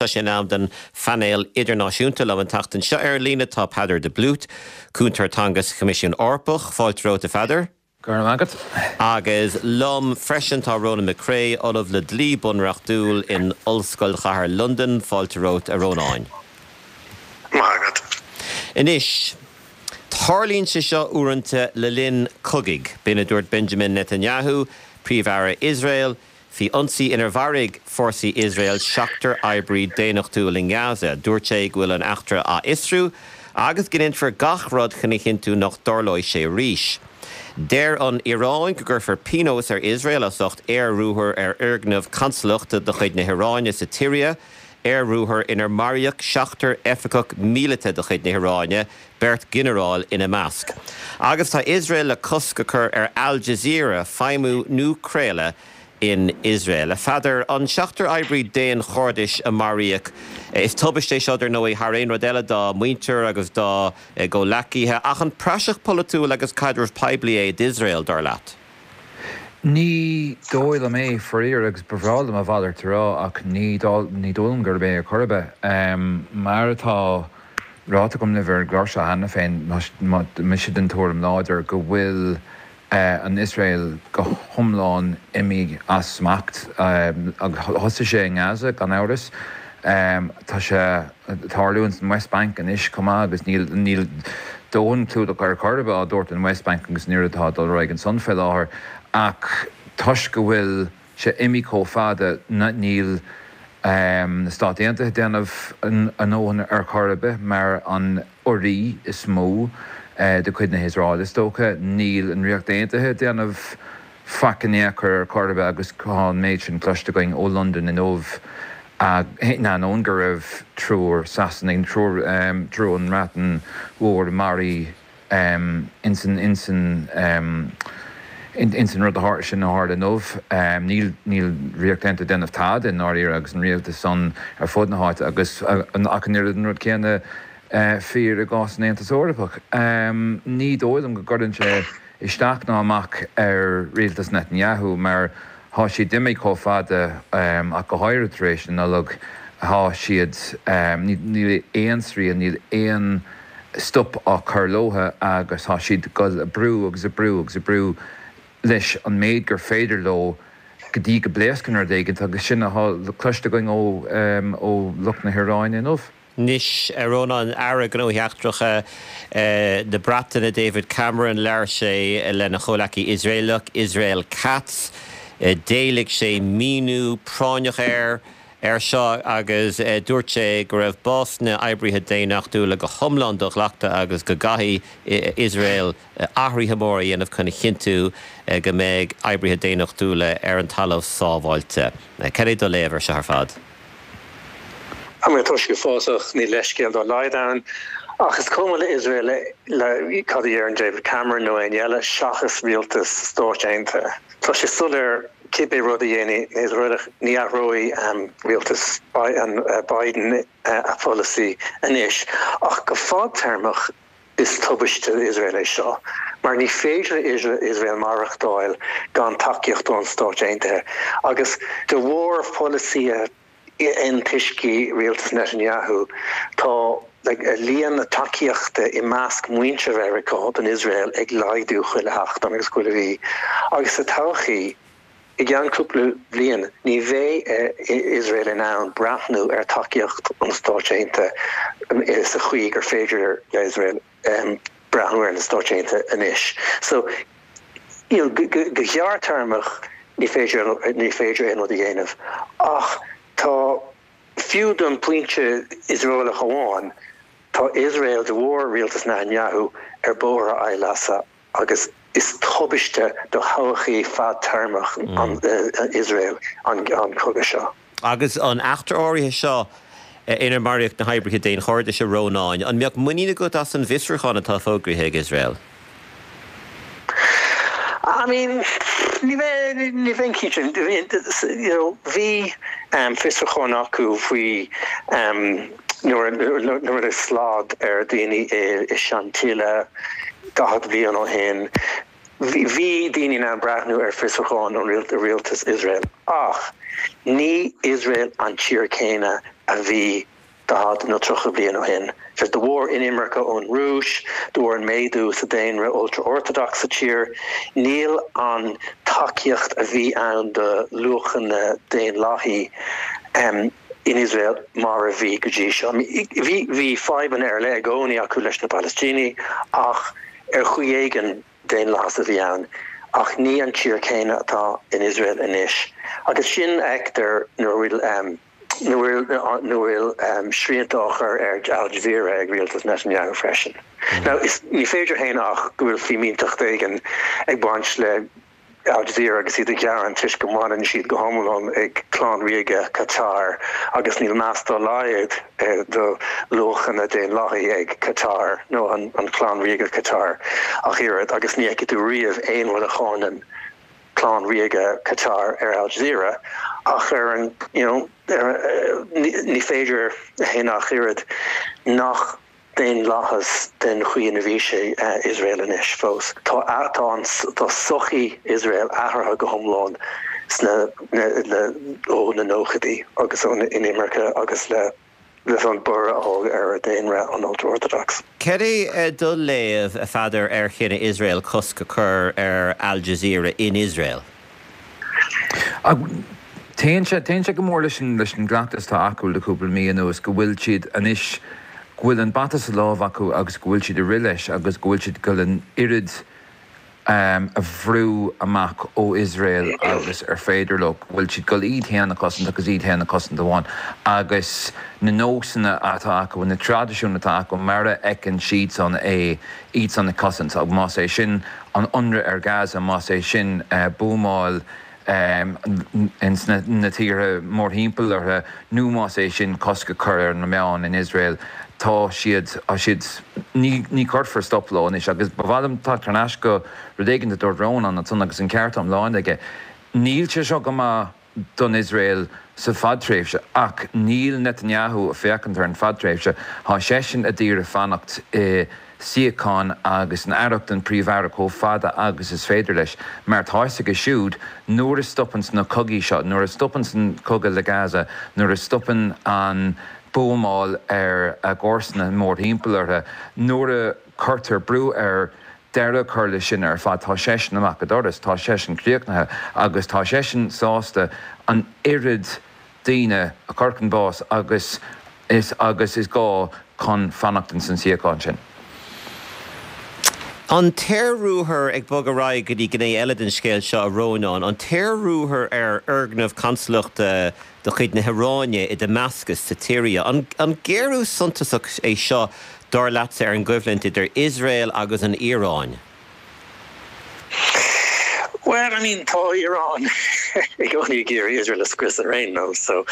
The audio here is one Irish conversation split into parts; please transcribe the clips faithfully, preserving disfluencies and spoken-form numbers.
Tá sé in am don phainéal idirnáisiúnta. Liom an tseachtain seo ar líne tá Peadar de Blút, cúntóir teanga sa Choimisiún Eorpach. Fáilte romhat, a Pheadair. Go raibh maith agat. Agus liom freisin tá Ronan McCrea, Ollamh le dlí bunreachtúil in Ollscoil Chathair Londain. Fáilte romhat, a Rónáin. Maith agat. Anois, tarlaíonn sé seo uaireanta le linn cogaidh. B'in a dúirt Benjamin Netanyahu, Príomh-Aire Iosrael, faoi ionsaí inar mharaigh fórsaí Iosrael seachtar oibrí daonnachtúil in Gaza. Dúirt sé go bhfuil an eachtra á fhiosrú agus go ndéanfar gach rud chun a chinntiú nach dtarlóidh sé arís. Deir an Iaráin go gcuirfear pionós ar Iosrael as ucht aer-ruathar ar fhoirgneamh consalachta de chuid na hIaráine sa tSiria, aer-ruathar inar maraíodh seachtar oifigeach míleata de chuid na hIaráine, beirt ghinearál ina measc. Agus tá Iosrael le cosc a chur ar Al Jazeera feidhmiú nó craoladh in Iosrael. A Pheadair, an seachtar oibrí daonchairdis a maraíodh, is tubaiste é seo dar ndóigh thar aon rud eile dá muintir agus dá gcomhleacaithe, ach an praiseach polaitiúil agus caidreamh poiblí é d'Iosrael, dar leat? Ní dóigh liom é, faraor, agus ba bhreá liom a mhalairt a rá, ach ní dóigh liom gurb é ar chor ar bith. Mar atá ráite agam libh ar an gclár seo cheana féin, tá mise den tuairim láidir go bhfuil an Iosrael go hiomlán imithe as smacht agus thosaigh sé i nGaza gan amhras. Tá sé ag tarlú ins an West Bank anois chomh maith agus níl níl dóthain clúdach ar chor ar bith á dtabhairt an West Bank agus an rud atá ag dul ar aghaidh ansan fé láthair ach toisc go bhfuil sé imithe chomh fada níl na Stáit Aontaithe ag déanamh a ndóthain ar chor ar bith mar an urraí is mó de chuid na hIosrael is dócha. Níl an Ríocht Aontaithe ag déanamh faic in aon chor ar chor ar bith agus tá an méid sin cloiste againn ó Londain inniu in ainneoin go raibh triúr Sasanaigh, triúr triúr ón mBreatain Mhór maraithe insan insan insan rud a sin a tharla inniu. Níl níl Ríocht Aontaithe ag déanamh tada i ndáiríre agus an rialtas san ar fud na háite agus ach an oiread an rud céanna fíor i gcás an Aontas Eorpach. Ní dóigh liom go gcuireann sé isteach ná amach ar rialtas Netanyahu mar tá siad imithe chomh fada ach go háirithe tar éis na Nollag tá siad níl aon srian, níl aon stop á chur leo agus tá siad ag brú agus ag brú agus ag brú leis an méid gur féidir leo go dtí go bpléascann rud éigin agus sin atá cloiste againn ó ó lucht na hIaráine inniu. Anois, a Rónáin, Aire Gnóthaí Eachtracha na Breataine David Cameron, labhair sé lena chomhleacaí Iosraelach Israel Katz, d'éiligh sé míniú práinneach air ar seo agus dúirt sé go raibh bás na n-oibrithe daonnachtúla go hiomlán do-ghlactha agus go gcaithfidh Iosrael athruithe móra a dhéanamh chun a chinntiú go mbeidh oibrithe daonnachtúla ar an talamh sábháilte. Cad é do léamh ar seo ar fad? I mean, tá sé uafásach, níl leithscéal dá laghad ann, ach is cuma le Iosrael le cad a deireann David Cameron nó éinne eile seachas rialtas Stáit Aontaithe. Tá sé soiléir cibé rud a dhéanfaidh na hIosraelaigh ní athróidh rialtas Biden a pholasaí anois, ach go fadtéarmach is tubaiste d'Iosrael é seo, mar ní féidir le Iosrael maireachtáil gan tacaíocht ón Stáit Aontaithe agus de bharr pholasaithe antoiscigh rialtas Netanyahu tá líon na tacaíochta i measc muintir Mheiriceá don Iosrael ag laghdú chuile sheachtain agus chuile mhí agus sa todhchaí i gceann cúpla bliain ní bheidh Iosrael in ann breathnú ar tacaíocht an Stáit Aontaithe sa chaoi gur féidir le Iosrael breathnú ar na Stáit Aontaithe anois. So you know, go gearrthéarmach ní féidir ní féidir aon rud a dhéanamh ach tá fiú don phointe Iosraelach amháin tá Iosrael de bharr rialtas Netanyahu ar bóthar a áilleasa agus is tubaiste do thodhchaí fadtéarmach an Iosrael an an cogadh seo. Agus an eachtra áirithe seo inar maraíodh na hoibrithe daonchairdis, a Rónáin, an mbeadh muinín agat as an bhfiosrúchán atá fógraithe ag Iosrael? I mean, ní ní bheinn cinnte you know, bhí um, fiosrúchán acu faoi um, nuair nuair a slad ar daoine i, i Shantilly daichead bliain ó shin. Bhí daoine in ann breathnú ar fiosrúchán an rialtas Iosrael ach ní Iosrael an tír céanna a bhí daichead nó tríocha bliain ó shin. Just de bharr inimirce ón Rúis, de bharr an méadú sa daonra ultra-orthodox sa tír, níl an tacaíocht a bhí ann do luachanna daonlathaí um, in Israel mar a bhí go dtí seo. Bhí bhí fadhbanna ar leith i gcónaí acu leis na Palaistínigh ach ar chaoi éigin daonlathas a bhí ann. Ach ní an tír céanna atá in Israel anois. Agus sin a fheictear nuair bhfuil um, nuair bhfuil um, srianta á chur ar Al Jazeera ag rialtas Netanyahu freisin. Mm. Now, is, ní féidir a shéanadh ach go bhfuil fimínteacht éigin ag baint le Al Jazeera agus iad ag gearán toisc go mbaineann siad go hiomlán ag clann ríoga Qatar agus níl meas dá laghad eh, do luachanna daonlathaí ag Qatar nó an, an clann ríoga Qatar ach oiread agus ní fheicfidh tú riamh aon rud a cháineann clann ríoga Qatar ar Al Jazeera ach ar an you know, ar, eh, ní, ní féidir a shéanadh ach oiread nach daonlathas den chaoi ina bhí sé Iosrael anois fós. Tá tá an tá sochaí Iosrael athraithe go hiomlán sna le ó na nóchaidí agus ón inimirce agus le leis an borradh a tháinig ar daonra an ultra-orthodox. Cad é do léamh, a Pheadair, ar chinneadh Iosrael cosc a chur ar Al Jazeera in Iosrael? Téann sé téann sé go mór leis an leis an gcleachtas atá acu le cúpla mí anuas go bhfuil siad anois go bhfuil an bata sa lámh acu agus go bhfuil siad ag rith leis agus go bhfuil siad ag dul an oiread um, a bhrú amach ó Iosrael agus ar féidir leo, go bhfuil siad ag dul iad féin a chosaint agus iad féin a chosaint amháin agus na nósanna atá acu na traidisiúin atá acu mar a fheiceann siadsan é iad san a chosaint agus más é sin an ionradh ar Gaza más é sin uh, buamáil um, ins na, na tíortha mórthimpeall orthu nó más é sin cosc a chur ar na meáin in Israel tá siad á siad ní ní cuirfear stop leo anois agus ba mhaith liom teacht thar n-ais go rud éigin a dúirt Rónán ansan agus an ceart iomlán aige. Níl sé seo go maith don Israel sa fadtréimhse ach níl Netanyahu ag féachaint ar an fadtréimhse tá seisean ag iarraidh fanacht i suíochán agus an aireacht an príomh-aire chomh fada agus is féidir leis, mar tá a fhios aige siúd nuair a stopann na cogaí seo, nuair a stopann an cogadh le Gaza, nuair a stopann an buamáil ar a gcomharsana mórthimpeall orthu, nuair a cuirtear brú air deireadh a chur leis sin ar fad, tá seisean amach an doras, tá seisean críochnaithe agus tá seisean sásta an oiread daoine a chur chun báis agus is agus is gá chun fanacht in san suíochán sin. An t-aerruathar ag bogadh ar aghaidh go dtí gné eile den scéal seo a Rónáin, an t-aerruathar ar fhoirgneamh consalachta de chuid na hIaráine i Damascus sa tSiria, an, an géarú suntasach é seo dar leatsa ar an gcoimhlint idir Iosrael agus an Iaráin? Well, I mean, tá Iran i gcónaí ag iarraidh Israel a scrios ar aon nós, so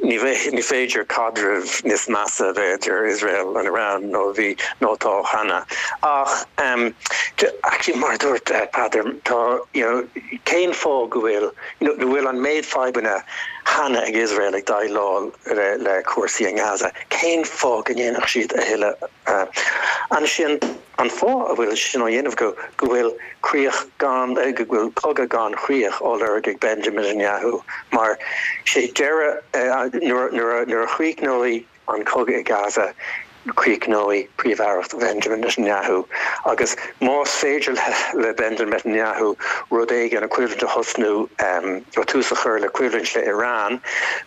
ní ní féidir caidreamh níos measa bheith idir Israel an Iran nó bhí nó tá cheana. Ach um, actually mar dúirt uh, Peadar tá you know, cén fáth go bhfuil you know, bhfuil an méid fadhbanna cheana ag Israel ag déileáil le, le cúrsaí in Gaza. Cén fáth go ndéanfadh siad a thuilleadh uh, ansin an fáth a bhfuil sin á dhéanamh go go bhfuil críoch gan eh, go bhfuil cogadh gan chríoch á lorg ag Benjamin Netanyahu mar sé deireadh eh, nuair a chríochnóidh an cogadh i Gaza críochnóidh príomh-aireacht Benjamin Netanyahu agus más féidir le Benjamin Netanyahu rud éigin a coimhlint a thosnú um, ó tús a chur le coimhlint le Iran,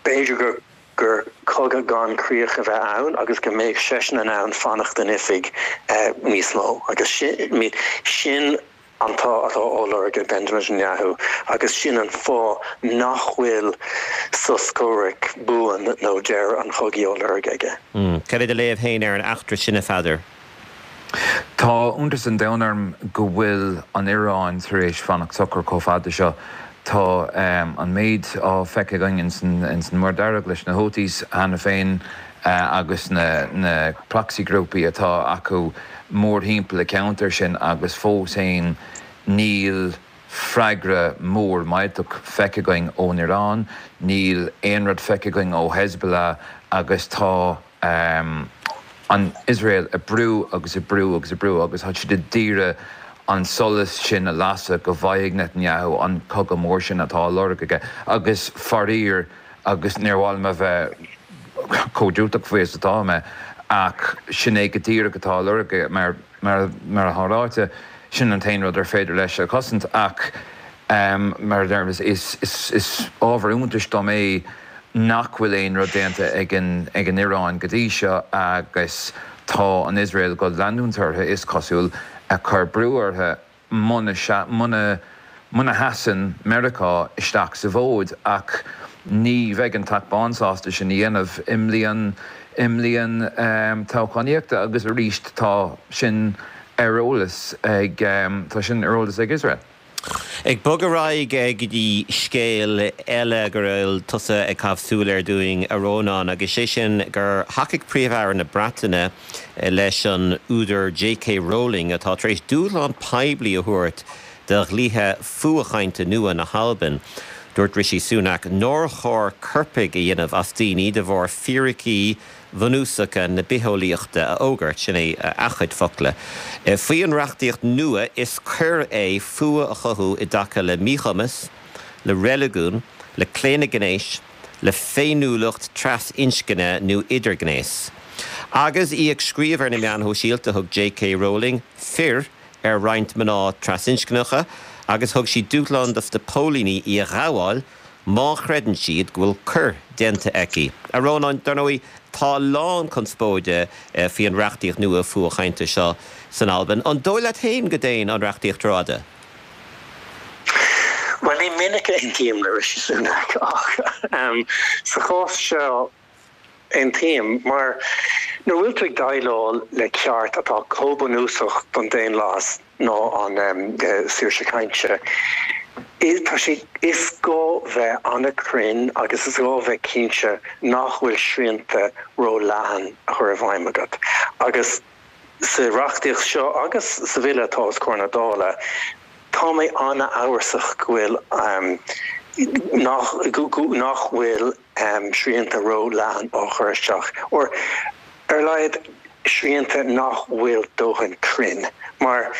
b'fhéidir gur gur cogadh gan críoch a bheith ann agus go mbeidh seisean in ann fanacht in oifig uh, níos mó agus sin, sin an tá atá á lorg ag Benjamin Netanyahu agus sin an fáth nach bhfuil sos comhraic buan nó deireadh an chogaidh á lorg aige. Mm. Cad é do léamh féin ar an eachtra sin a Pheadair? Tá iontas an domhain orm go bhfuil an Iaráin tar éis fanacht socair chomh fada seo. Tá um, an méid á feiceáil againn in san Muir Dhearg leis na Houthis cheana féin uh, agus na, na proxygrúpaí atá acu mórthimpeall an ceantar sin agus fós féin níl freagra mór millteach feicthe againn ón Iaráin, níl aon rud feicthe againn ó Hezbollah agus tá um, an Israel ag brú agus ag brú agus ag brú agus tá siad ag iarraidh an solas sin a lasadh go bhfaighidh Netanyahu an cogadh mór sin atá á lorg aige agus faraor agus níor mhaith liom a bheith chomh diúltach faoi is atá mé ach sin é go díreach atá á lorg mar mar mar atá ráite sin an t-aon rud ar féidir leis a chosaint ach um, mar is, is, is, is ábhar iontais dom é nach bhfuil aon rud déanta ag an ag an Iaráin go dtí seo agus tá an Iosrael go leanúint orthu is cosúil ag cur brú orthu muna muna muna sheasann Meiriceá isteach sa bhfód ach ní bheidh an Teach Bán sásta sin a dhéanamh i mbliain i mbliain um, toghchánaíochta agus arís tá sin ar eolas ag um, tá sin ar eolas ag Israel. Ag bogadh ar aghaidh go dtí scéal eile go bhfuil tusa ag caitheamh súil air dúinn a Rónáin agus sé sin gur thacaigh Príomh-Aire na Breataine leis an údar J.K. Rowling atá tar éis dúshlán poiblí a thabhairt do dhlíthe fuathchainte nua na hAlban. Dúirt Rishi Sunak nár chóir coirpigh a dhéanamh as daoine de bharr fíricí bunúsacha na bitheolaíochta a fhógairt sin é a chuid focla. Faoi an reachtaíocht nua is coir é fuath a chothú i dtaca le míchumas, le reiligiún, le claonadh gnéis, le féiniúlacht trasinscne nó idirghnéas. Agus í ag scríobh ar na meáin shóisialta thug J.K. Rowling fir ar roinnt mná trasinscneacha agus thug sí dúshlán dos na póilíní í a ghabháil má chreideann siad go bhfuil coir déanta aici. A Rónáin dar ndóigh tá a lán conspóide faoi an reachtaíocht nua fuathchainte seo san Albain. An dóigh leat féin go dtéann an reachtaíocht rófhada? Well ní minic a aontaím le Rishi Sunak ach um, sa chás seo aontaím mar nuair bhfuil tú ag déileáil le ceart atá chomh bunúsach don daonlathas ná an um, saoirse cainte. Is tá sé is gá bheith an-chruinn agus is gá bheith cinnte nach bhfuil srianta ró-leathan a chur i bhfeidhm agat. Agus sa reachtaíocht seo agus sa bhille atá os comhair na Dála, tá mé an-amhrasach go bhfuil um, nach nach bhfuil um, srianta ró-leathan á chur isteach or ar a laghad srianta nach bhfuil dóthain cruinn mar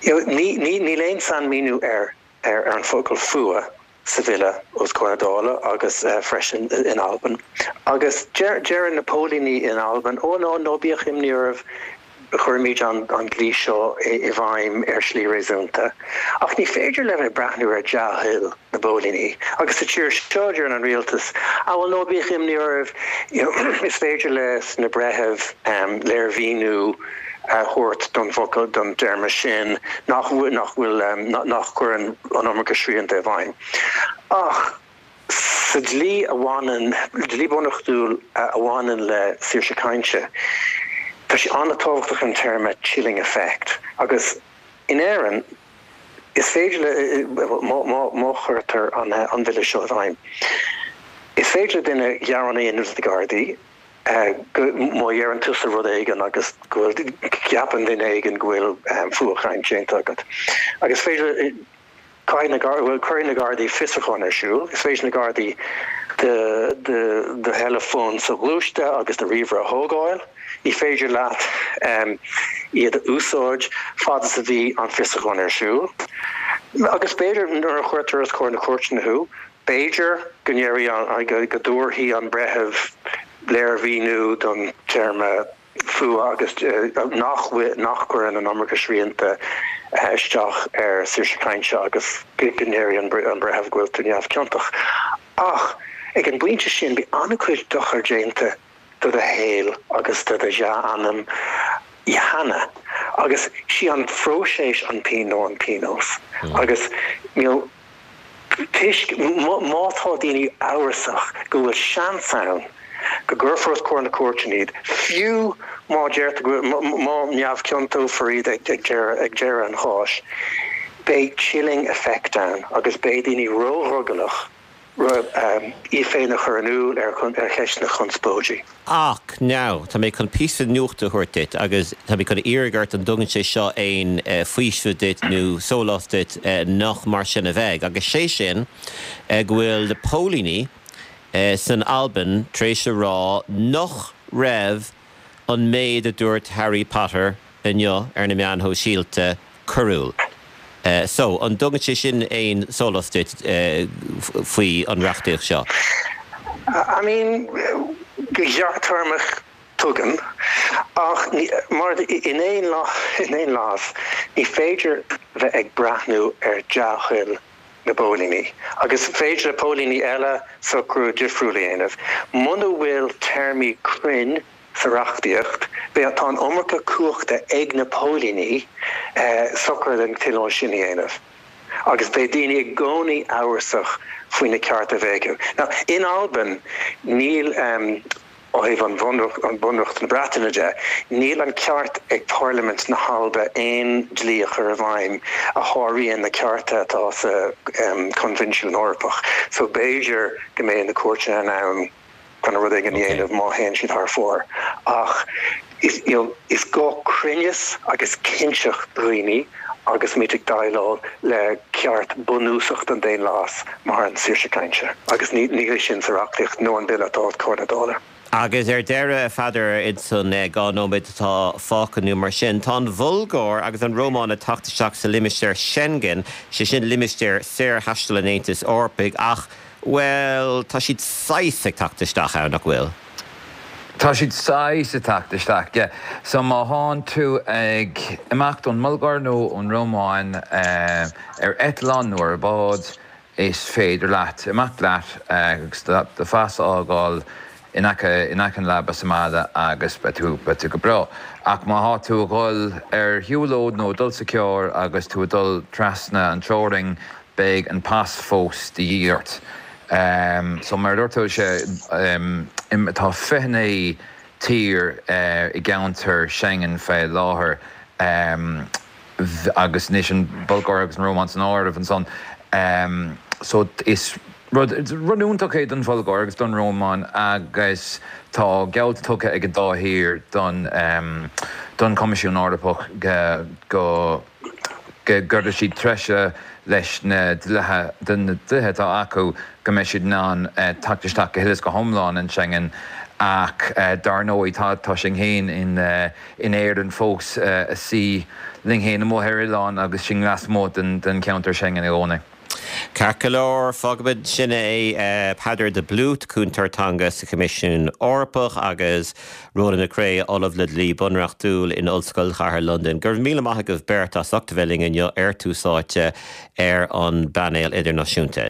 níl aon sainmhíniú ar ar ar an focal fuath sa bhille os comhair na Dála agus uh, freisin in Albain. Agus deir na póilíní in Albain ó ná ná bíodh imní oraibh chuirfimid an an dlí seo i bhfeidhm ar shlí réasúnta. Ach ní féidir le bheith breathnú ar dea-thoil na bpóilíní. Agus sa tír seo deir an rialtas a bhfuil ná bíodh imní oraibh is féidir leis na breithimh um, léirmhíniú a thabhairt don focal don téarma sin nach nach bhfuil um, nach gcuireann an iomarca srianta i bhfeidhm. Ach sa dlí a bhaineann dlí bunreachtúil a bhaineann le saoirse cainte. Tá sé an-tábhachtach an téarma chilling effect agus in Éirinn is féidir le má chuirtear an an bhille seo i bhfeidhm. Is féidir duine gearán a dhéanamh na Gardaí má dhéanann tusa rud éigin agus go gceapann duine éigin go bhfuil fuathchaint déanta agat. Agus féidir bhfuil cuirfidh na Gardaí fiosrúchán ar siúl, is féidir na Gardaí do theileafón soghluaiste agus do ríomhaire a thógáil, ní féidir leat um, iad a úsáid fad is a bhí an fiosrúchán ar siúl. Agus b'fhéidir nuair a chuirtear os comhair na cúirte thú, b'fhéidir go ndéarfaidh go dtabharfaidh an breitheamh léirmhíniú don téarma fuath agus nach nach gcuireann an iomarca srianta isteach ar saoirse cainte agus go ndéarfaidh an breitheamh go bhfuil tú neamhchiontach. Ach ag an bpointe sin bhí an-chuid dochar déanta do do shaol agus do do dhea-ainm cheana agus sí an phróiseas an pian nó an pionós agus níl toisc má tá daoine amhrasach go bhfuil seans ann go gcuirfear os comhair na cúirte iad fiú má deirtear má neamhchiontófar iad ag ag deireadh an cháis beidh chilling effect ann agus beidh daoine ródhrogallach í féin a chur in iúl ar ar cheisteanna conspóidí. Ach now tá mé chun píosa nuachta a thabhairt duit agus tá mé chun iarraidh ort an dtugann sé seo aon faoiseamh duit nó sólás duit nach mar sin a bheidh agus sé sin go bhfuil na póilíní san Albain tar éis a rá nach raibh an méid a dúirt Harry Potter inniu ar na meáin shóisialta coiriúil. So an dtugann sé sin aon sólás duit faoi an reachtaíocht seo? I mean Go gearrthéarmach tugann ach mar in aon lá in aon lámh ní féidir bheith ag breathnú ar dea-thoil na bpóilíní agus féidir le póilíní eile socrú difriúil a dhéanamh. Muna bhfuil téarmaí cruinn sa reachtaíocht, beidh tá an iomarca cumhachta ag na póilíní eh, socrú den chineál sin a dhéanamh. Agus beidh daoine i gcónaí amhrasach faoi na cearta a bheidh acu. Now, in Albain níl um, ó thaobh an bhunreacht an bunreacht na Breataine de, níl an ceart ag Parlaimint na hAlba aon dlí a chur i bhfeidhm a sháraíonn na cearta atá sa um, Coinbhinsiún Eorpach. So b'fhéidir go mbeidh na cúirteanna in ann chun rud éigin a dhéanamh má théann siad thar fóir. Ach is, you know, is gá cruinneas agus cinnteacht daoine agus muid ag déileáil le ceart bunúsach den daonlathas mar an saoirse cainte. Agus ní ní sin sa reachtaíocht nó an bille atá os comhair na Dála. Agus ar deireadh Pheadair insan dhá nóiméad atá fágtha nó mar sin, tá an Bhulgáir agus an Rómáin ag teacht isteach sa limistéar Schengen, sé sin limistéar saorthaistil an Aontais Eorpaigh ach well tá siad saghas ag teacht isteach ann nach bhfuil. Tá siad saghas ag teacht isteach, yeah. So má thánn tú ag imeacht ón mBulgáir nó ón Rómáin uh, ar eitleán nó ar bád is féidir leat imeacht leat agus do phas a fhágáil in aice in aice an leaba sa mbaile agus beidh tú beidh tú go breá. Ach má thá tú ag dul ar shiúlóid nó dul sa charr agus tú ag dul trasna an teorainn beidh an pas fós de dhíth ort. Um, so mar dúirt sé um, tá fiche naoi tír uh, i gceantar Schengen fé láthair um, agus anois an Bhulgáir agus an Rómáin san áireamh ansan. Um, so is rud rud iontach é don Bhulgáir agus don Rómáin agus tá geall tugtha ag an dá thír don um, don Coimisiún Eorpach go go go gcuirfidh siad treise leis na dlíthe den na dlíthe atá acu go mbeidh siad in ann uh, teacht isteach go huile is go hiomlán in Schengen ach uh, dar ndóigh tá tá sinn féin in uh, in Éirinn fós uh, a suí linn féin amuigh ar oileán agus sinn lasmuigh den den ceantar Schengen i gcónaí. Ceart go leor fágfaimid sin é Peadar de Blút cúntóir teanga sa Choimisiún Eorpach agus Ronan McCrea Ollamh le Dlí Bunreachtúil in Ollscoil Chathair Londain. Gur míle maith agaibh beirt as ucht a bheith linn inniu ar Tús Áite ar an bpainéal idirnáisiúnta.